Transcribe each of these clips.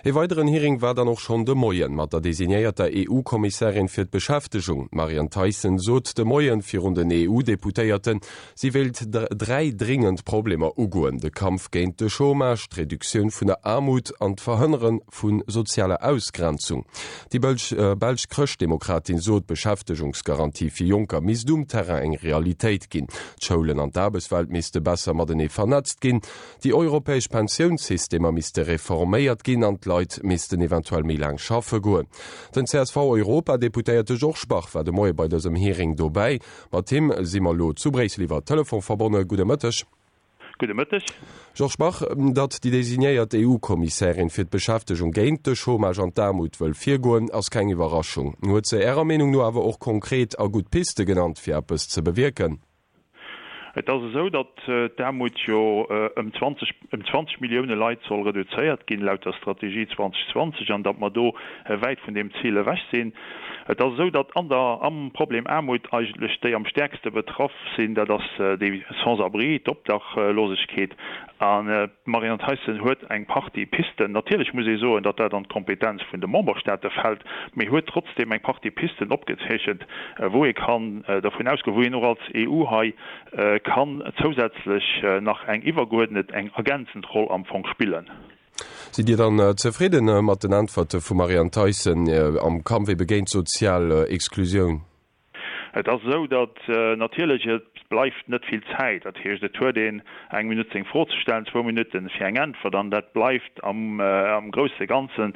Ee weideren Hearing war dann och schonn de Moien mat der designéierter EU-Kommissärin fir d'Beschäftegung. D'Marianne Thyssen sot de Moien virun den EU-Deputéierten, si wéilt 3 dringend Problemer ugoen, de Kampf géint de Chômage, d'Reduktioun vun der Aarmut an d'Verhënnere vu sozialer Ausgrenzung. Déi belsch Chrëschtdemokratin sot, d'Beschäftegungsgarantie fir Jonker misst um Terrain eng Realitéit ginn, d'Schoulen an d'Aarbechtswelt misste besser matenee vernetzt ginn, Déi europäesch Pensiounssystemer misste reforméiert ginn an d'Leit missten eventuell méi laang schaffe goen. Den CSV-Europadeputéierte Georges Bach war de Moie bei dësem Hearing dobäi. Mat him si mer elo zu Bréissel iwwer Telefon verbonne. Gudde Mëtteg. Gudde Mëtteg. Georges Bach, datt déi designéiert EU-Kommissärin fir d'Beschäftegung géint de Chômage an d'Aarmut wëll virgoen, ass keng Iwwerraschung. Huet se Ärer Meenung no awer och konkret a gutt Piste genannt, fir eppes ze bewierken? Et ass esou, datt d'Aarmut jo ëm 20, ëm 20 Millioune Leit soll reduzéiert ginn, laut der Strategie 2020, an datt mer do wäit vun deem Zil ewech sinn. Et ass esou, datt an der, am Problem Aarmut eigentlech déi am stäerkste betraff sinn, dat ass déi Sans-abri, d'Obdachlosegkeet. An d'Marianne Thyssen huet eng Partie Pisten, natierlech muss ee soen, datt dat an d'Kompetenz vun de Memberstaate fält, mee huet trotzdeem eng Partie Pisten opgezeechent, wou ee kann dervun ausgoen, wou een och als EU hei kann zousätzlech nach eng iwwergeuerdnet, eng ergänzend Roll am Fong spillen. Sidd Dir dann zefridden mat den Äntwerte vum Marianne Thyssen am Kampf ebe géint d'sozial Exklusioun? Et ass esou, datt natierlech, et bleift net vill Zäit. Dat heescht, et huet een eng Minutt seng Fro ze stellen, zwou Minutten fir eng Äntwert, an dat bleift am grousse Ganzen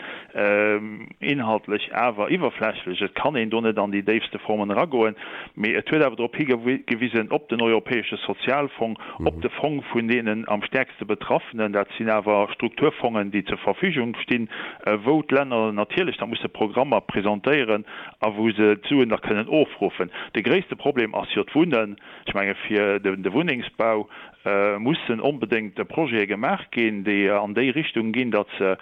inhaltlech awer iwwerflächlech. Et kann een do net an déi déifste Formen eragoen. Mee et huet awer drop higewisen, op den Europäesche Sozialfong, op de Fong vun deenen am stäerkste Betraffenen, dat sinn awer Strukturfongen, déi zur Verfügung stinn, wou d'Länner natierlech da musse Programmer presentéieren, a wou se d'Suen da kënnen ofruffen. De gréisste Problem ass jo d'Wunnen. Ech menge fir de Wunnengsbau mussen onbedéngt Projete gemaach ginn, déi an déi Richtung ginn, datt se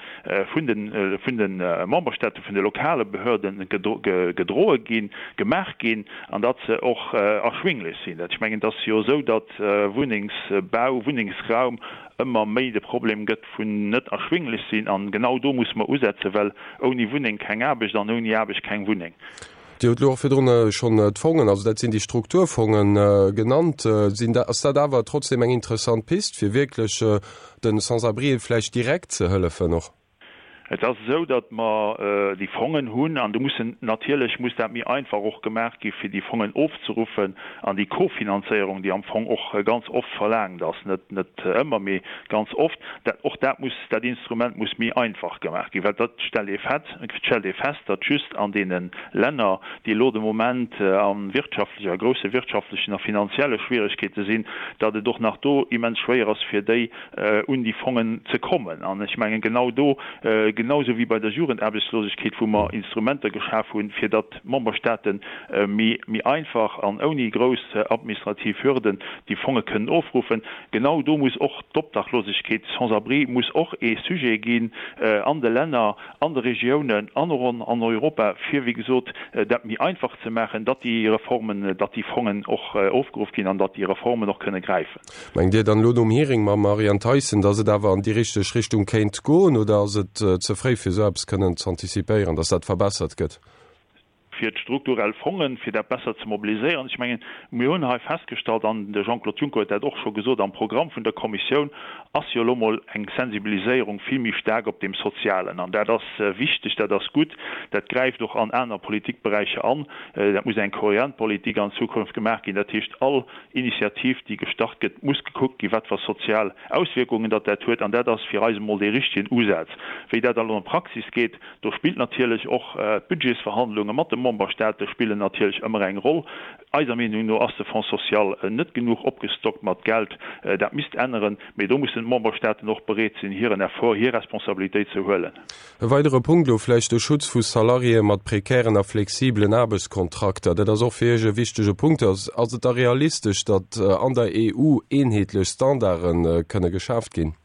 vun de Memberstaate, vun de lokale Behörden gedroe ginn, gemaach ginn an datt se och erschwinglech sinn. Ech mengen, et ass jo esou, datt Wunnengsbau, Wunnengsraum ëmmer méi de Problem gëtt vun net erschwinglech sinn. An genau do musse mer usetzen, well ouni Wunneng keng Aarbecht an ouni Aarbecht keng Wunneng. Dir hutt elo och virdrun schonn d'Fongen, also dat sinn déi Strukturfongen, genannt. Sinn dat, ass dat awer trotzdem eng interessant Pist, fir wierklech de Sans-abrien vläicht direkt ze hëllefen och? Et ass esou, datt mer déi Fongen hunn an do mussen natierlech muss dat méi einfach och gemaach gi fir déi Fongen ofzeruffen an déi Kofinanzéierung, déi am Fong och ganz oft verlaangt ass, net net ëmmer, mee ganz oft, dat och dat muss, dat Instrument muss méi einfach gemaach ginn, well dat stellt ee fett, stellt ee fest, datt just an deene Länner, déi elo de Moment a wirtschaftlecher, grousse wirtschaftlechen a finanzielle Schwieregkeete sinn, datt et och nach do immens schwéier ass fir déi un déi Fongen ze kommen. An ech mengen, genau do, genau esou wéi bei der Jugendaarbechtslosegkeet, wou mer Instrumenter geschaf hunn, fir datt d'Memberstaate méi einfach an ouni grouss administrativ Hürden déi Fonge kënnen ofruffen, genau do muss och d'Obdachlosegkeet, d'Sans-abri muss och ee Sujet ginn an de Länner, an de Regiounen an och an Europa, fir, wéi gesot, dat méi einfach ze maachen, datt déi Reformen, datt déi Fongen och ofgeruff ginn an datt déi Reformen och kënne gräifen. Mengt Dir dann elo nom Hearing mam Marianne Thyssen, datt et awer an déi richteg Richtung kéint goen oder ass et ze fréi fir esou eppes kënnen z'antizipéieren, datt dat verbessert gëtt? Fir d'strukturell Fongen, fir dat besser ze mobiliséieren. Ech mengen, mir hunn hei festgestallt, an de Jean-Claude Juncker huet dat och scho gesot, am Programm vun der Kommissioun ass jo elo mol eng Sensibiliséierung vill méi staark op deem Sozialen. An dat ass wichteg, dat ass gutt, dat gräift och an aner Politikberäicher an. Dat muss eng kohärent Politik an Zukunft gemaach ginn. Dat heescht, all Initiativ, déi gestart gëtt, muss gekuckt ginn, wat fir sozial Auswierkungen datt dat huet. An dat ass fir eis emol dee richtegen Usaz. Wéi dat elo an d'Praxis geet, do spillt natierlech och d'Budgetsverhandlunge mat de Memberstaate spillen natierlech ëmmer eng Roll. Eiser Meenung no ass de Fonds social net genuch opgestockt mat Geld. Dat misst änneren. Mee do mussen d'Memberstaaten och bereet sinn, hiren Effort, hir Responsabilitéit ze huelen. E weidere Punkt elo vläicht, de Schutz vu Salariéë mat prekären a flexibelen Aarbechtskontrakter. Dat ass och fir Iech e wichtege Punkt. Ass et da realistesch, datt an der EU eenheetlech Standarde kënne geschaaft ginn?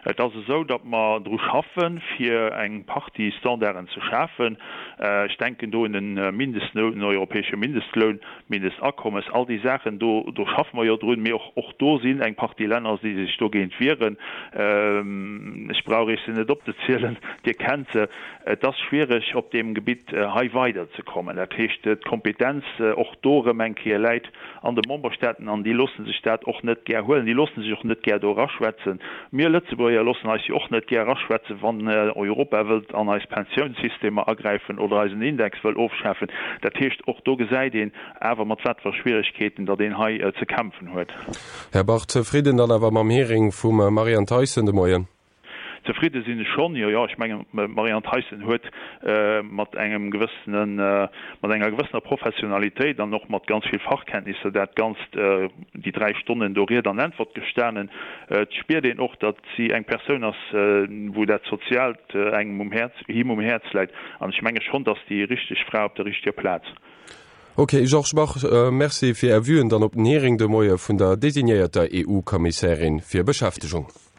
Et ass esou, datt mer dru schaffen, fir eng Partie Standarden ze schafen. Ech denken do un de Mindestloun, den europäesche Mindestloun, d'Mindestakommes, all déi Saachen. Do, do schaffe mer jo drun. Mee och, och do sinn eng Partie Länner, déi sech dogéint wieren. Ech brauch Iech se net opzezielen, Dir kennt se. Et ass schwierig, op deem Gebitt hei weiderzekommen. Dat heescht, d'Kompetenz och do erëm eng Kéier läit an de Memberstaaten an déi loosse sech dat och net gär huelen, déi loosse sech och net gär do eraschwätzen. Mir Lëtzebuerger loossen eis jo och net gär eraschwätzen, wann Europa wëllt an eis Pensiounssystemer agräifen oder eisen Index wëll ofschafen. Dat heescht, och do gesäit een awer, mat wat fir Schwieregkeeten datt een hei ze kämpfen huet. Här Bach, zefridden dann awer mam Hearing vum Marianne Thyssen de Moien? Zefridde sinn ech schonn, jo, jo. Ech mengen, d'Marianne Thyssen huet mat engem gewëssenen, mat enger gewëssener Professionalitéit an och mat ganz vill Fachkenntnisser dat Ganzt, déi 3 Stonnen do Ried an Äntwert gestanen. Et spiert een och, datt si eng Persoun ass, wou dat Soziaalt engem um Häerz, him um Häerz läit. An ech menge schonn, datt déi richteg Fra op der richteger Plaz. Ok, Georges Bach, Merci fir Är Vuen dann op den Hearing de Moie vun der designéierter EU-Kommissärin fir Beschäftegung.